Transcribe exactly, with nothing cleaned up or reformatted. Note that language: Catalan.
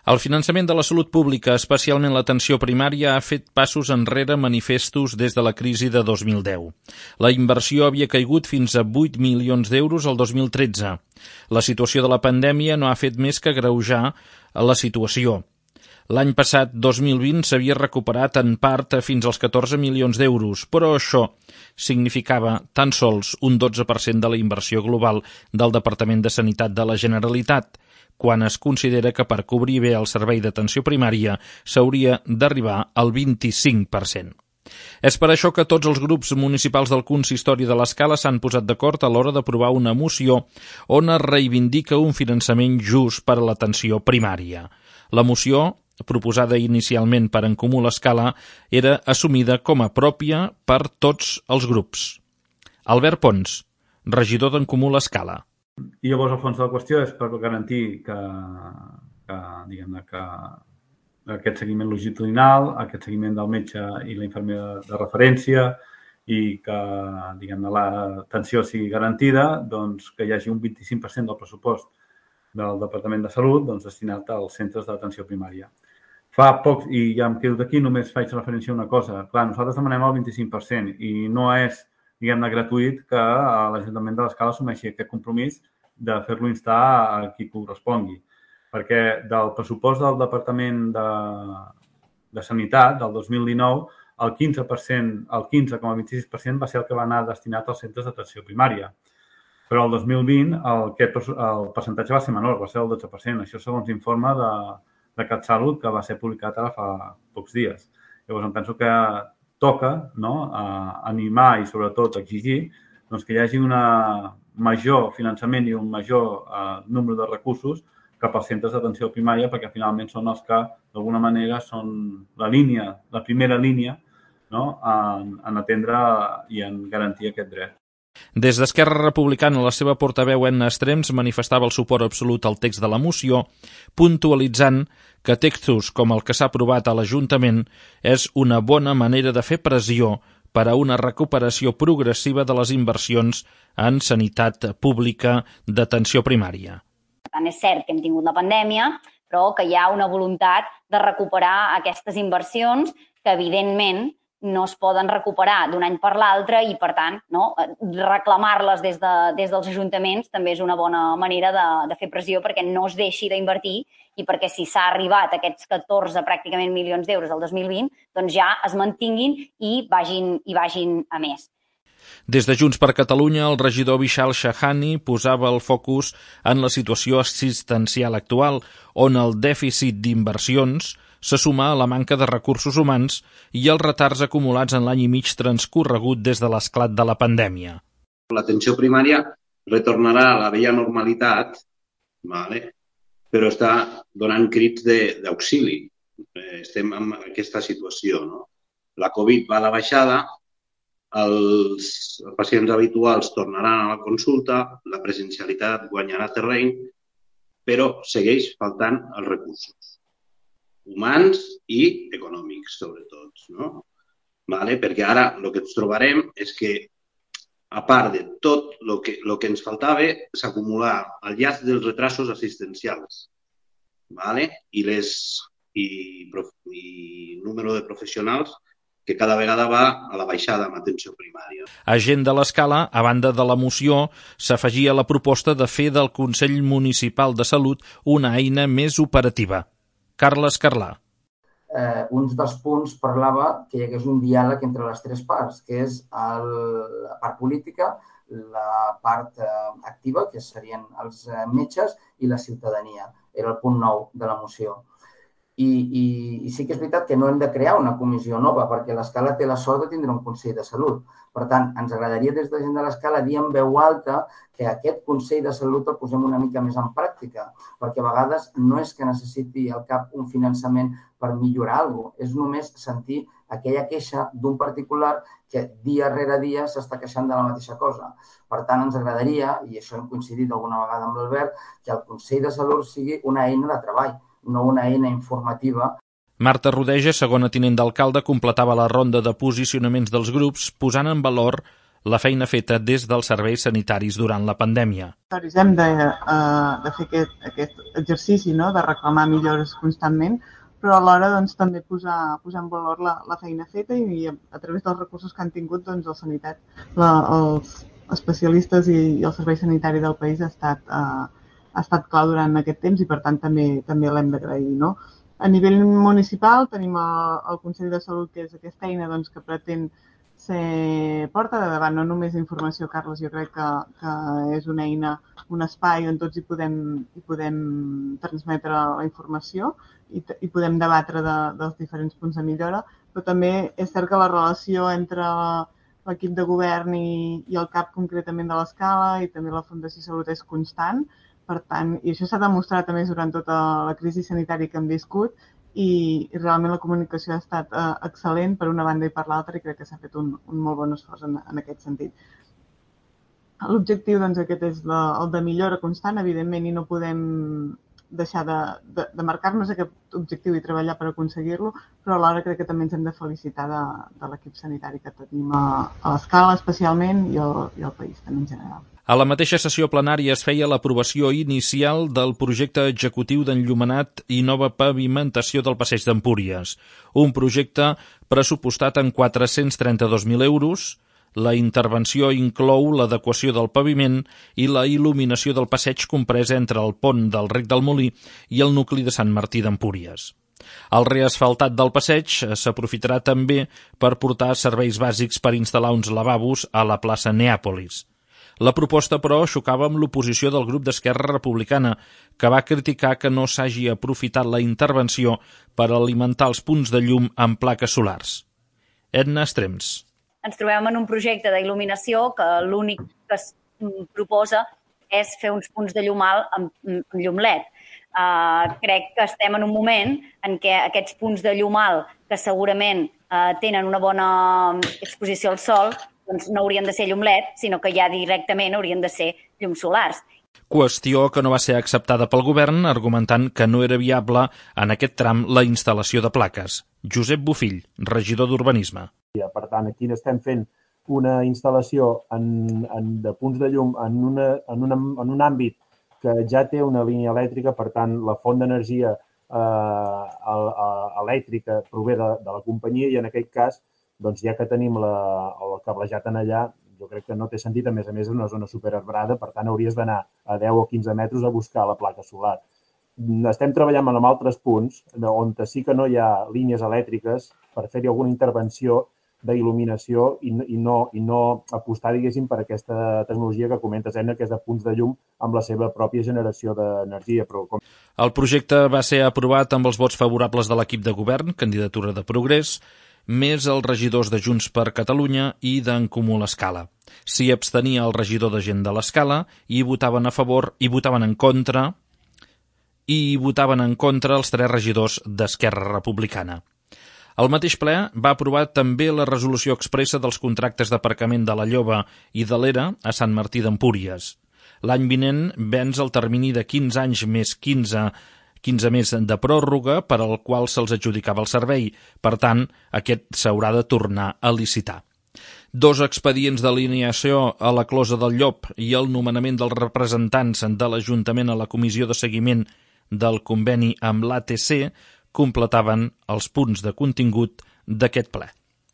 El finançament de la salut pública, especialment l'atenció primària, ha fet passos enrere manifestos des de la crisi de dos mil deu. La inversió havia caigut fins a vuit milions d'euros el dos mil tretze. La situació de la pandèmia no ha fet més que agreujar la situació. L'any passat, dos mil vint, s'havia recuperat en part fins als catorze milions d'euros, però això significava tan sols un dotze per cent de la inversió global del Departament de Sanitat de la Generalitat, quan es considera que per cobrir bé el servei d'atenció primària s'hauria d'arribar al vint-i-cinc per cent. És per això que tots els grups municipals del consistori de l'Escala s'han posat d'acord a l'hora d'aprovar una moció on es reivindica un finançament just per a l'atenció primària. La moció, proposada inicialment per En Comú l'Escala, era assumida com a pròpia per tots els grups. Albert Pons, regidor d'En Comú l'Escala. I llavors el fons de la qüestió és per garantir que, que, diguem-ne, que aquest seguiment longitudinal, aquest seguiment del metge i la infermera de referència i que, diguem-ne, l'atenció sigui garantida, doncs que hi hagi un vint-i-cinc per cent del pressupost del Departament de Salut doncs, destinat als centres d'atenció primària. Fa poc, i ja em quedo d'aquí, només faig referència a una cosa. Clar, nosaltres demanem el vint-i-cinc per cent i no és, diguem-ne, gratuït que l'Ajuntament de l'Escala assumeixi aquest compromís de fer-lo instar a qui correspongui. Perquè del pressupost del Departament de, de Sanitat del dos mil dinou, el quinze per cent, el quinze coma vint-i-sis per cent va ser el que va anar destinat als centres d'atenció primària. Però el dos mil vint el, el percentatge va ser menor, va ser el dotze per cent. Això segons l'informe de, de CatSalut que va ser publicat ara fa pocs dies. Llavors em penso que toca, no, a animar i sobretot exigir doncs, que hi hagi una major finançament i un major eh, número de recursos cap als centres d'atenció primària perquè finalment són els que d'alguna manera són la línia, la primera línia, no, en, en atendre i en garantir aquest dret. Des d'Esquerra Republicana, la seva portaveu Enna Estrems manifestava el suport absolut al text de la moció, puntualitzant que textos com el que s'ha aprovat a l'Ajuntament és una bona manera de fer pressió per a una recuperació progressiva de les inversions en sanitat pública d'atenció primària. Per tant, és cert que hem tingut la pandèmia, però que hi ha una voluntat de recuperar aquestes inversions que, evidentment, no es poden recuperar d'un any per l'altre i, per tant, no, reclamar-les des, de, des dels ajuntaments també és una bona manera de, de fer pressió perquè no es deixi d'invertir i perquè si s'ha arribat a aquests catorze pràcticament milions d'euros del dos mil vint, doncs ja es mantinguin i vagin, i vagin a més. Des de Junts per Catalunya, el regidor Vishal Shahani posava el focus en la situació assistencial actual, on el dèficit d'inversions se suma a la manca de recursos humans i els retards acumulats en l'any i mig transcorregut des de l'esclat de la pandèmia. L'atenció primària retornarà a la vella normalitat, vale? Però està donant crits d'auxili. Estem en aquesta situació. No? La Covid va a la baixada, els pacients habituals tornaran a la consulta, la presencialitat guanyarà terreny, però segueix faltant els recursos humans i econòmics, sobretot. No? Vale? Perquè ara el que ens trobarem és que, a part de tot el que, lo que ens faltava, s'acumula el llast dels retrasos assistencials. Vale? I, les, i, i número de professionals que cada vegada va a la baixada en atenció primària. A Gent de l'Escala, a banda de la moció, s'afegia la proposta de fer del Consell Municipal de Salut una eina més operativa. Carles Carlà. Eh, un dels punts parlava que hi hagués un diàleg entre les tres parts, que és el, la part política, la part eh, activa, que serien els eh, metges, i la ciutadania. Era el punt nou de la moció. I, i, I sí que és veritat que no hem de crear una comissió nova, perquè l'Escala té la sort de tindre un Consell de Salut. Per tant, ens agradaria des de Gent de l'Escala dir en veu alta que aquest Consell de Salut el posem una mica més en pràctica, perquè a vegades no és que necessiti al cap un finançament per millorar alguna cosa, és només sentir aquella queixa d'un particular que dia rere dia s'està queixant de la mateixa cosa. Per tant, ens agradaria, i això hem coincidit alguna vegada amb l'Albert, que el Consell de Salut sigui una eina de treball, no una eina informativa. Marta Rodeja, segona tinent d'alcalde, completava la ronda de posicionaments dels grups, posant en valor la feina feta des dels serveis sanitaris durant la pandèmia. Hem de, uh, de fer aquest, aquest exercici, no?, de reclamar millores constantment, però alhora doncs, també posar, posar en valor la, la feina feta i, i a, a través dels recursos que han tingut doncs, la sanitat, la, els especialistes i, i el servei sanitari del país ha estat, uh, ha estat clau durant aquest temps i per tant també, també l'hem d'agrair, no? A nivell municipal tenim el, el Consell de Salut, que és aquesta eina doncs, que pretén ser porta de davant, no només informació, Carles, jo crec que, que és una eina, un espai on tots hi podem, hi podem transmetre la informació i, i podem debatre de, dels diferents punts de millora, però també és cert que la relació entre l'equip de govern i, i el CAP concretament de l'Escala i també la Fundació Salut és constant, per tant, i això s'ha demostrat a més durant tota la crisi sanitària que hem viscut, i realment la comunicació ha estat eh, excel·lent per una banda i per l'altra i crec que s'ha fet un, un molt bon esforç en, en aquest sentit. L'objectiu doncs, aquest és la, el de millora constant, evidentment, i no podem deixar de, de, de marcar-nos aquest objectiu i treballar per aconseguir-lo, però alhora crec que també ens hem de felicitar de, de l'equip sanitari que tenim a, a l'Escala especialment i el, i el país també en general. A la mateixa sessió plenària es feia l'aprovació inicial del projecte executiu d'enllumenat i nova pavimentació del Passeig d'Empúries, un projecte pressupostat en quatre-cents trenta-dos mil euros. La intervenció inclou l'adequació del paviment i la il·luminació del passeig compresa entre el pont del Rec del Molí i el nucli de Sant Martí d'Empúries. El reasfaltat del passeig s'aprofitarà també per portar serveis bàsics per instal·lar uns lavabos a la plaça Neàpolis. La proposta, però, xocava amb l'oposició del grup d'Esquerra Republicana, que va criticar que no s'hagi aprofitat la intervenció per alimentar els punts de llum amb plaques solars. Edna Estrems. Ens trobem en un projecte d'il·luminació que l'únic que es proposa és fer uns punts de llum alt amb, amb llum L E D. Uh, crec que estem en un moment en què aquests punts de llum alt, que segurament uh, tenen una bona exposició al sol, doncs no haurien de ser llum L E D, sinó que ja directament haurien de ser llums solars. Qüestió que no va ser acceptada pel govern, argumentant que no era viable en aquest tram la instal·lació de plaques. Josep Bofill, regidor d'Urbanisme. Per tant, aquí estem fent una instal·lació en, en, de punts de llum en, una, en, una, en un àmbit que ja té una línia elèctrica, per tant, la font d'energia eh, elèctrica prové de, de la companyia i en aquest cas, doncs ja que tenim la, el cablejat en allà, jo crec que no té sentit, a més a més és una zona superarbrada, per tant hauries d'anar a deu o quinze metres a buscar la placa solar. Estem treballant en altres punts on sí que no hi ha línies elèctriques per fer-hi alguna intervenció d'il·luminació i, i, no, i no apostar, diguéssim, per aquesta tecnologia que comentes, Edna, que és de punts de llum amb la seva pròpia generació d'energia. Però com... El projecte va ser aprovat amb els vots favorables de l'equip de govern, candidatura de Progrés, més els regidors de Junts per Catalunya i d'en Comú l'Escala. S'hi abstenia el regidor de Gent de l'Escala i votaven a favor i votaven en contra i votaven en contra els tres regidors d'Esquerra Republicana. El mateix ple va aprovar també la resolució expressa dels contractes d'aparcament de la Lloba i de l'Era a Sant Martí d'Empúries. L'any vinent venç el termini de quinze anys més quinze, quinze més de pròrroga per al qual se'ls adjudicava el servei. Per tant, aquest s'haurà de tornar a licitar. Dos expedients d'alineació a la closa del Llop i el nomenament dels representants de l'Ajuntament a la comissió de seguiment del conveni amb l'A T C completaven els punts de contingut d'aquest ple.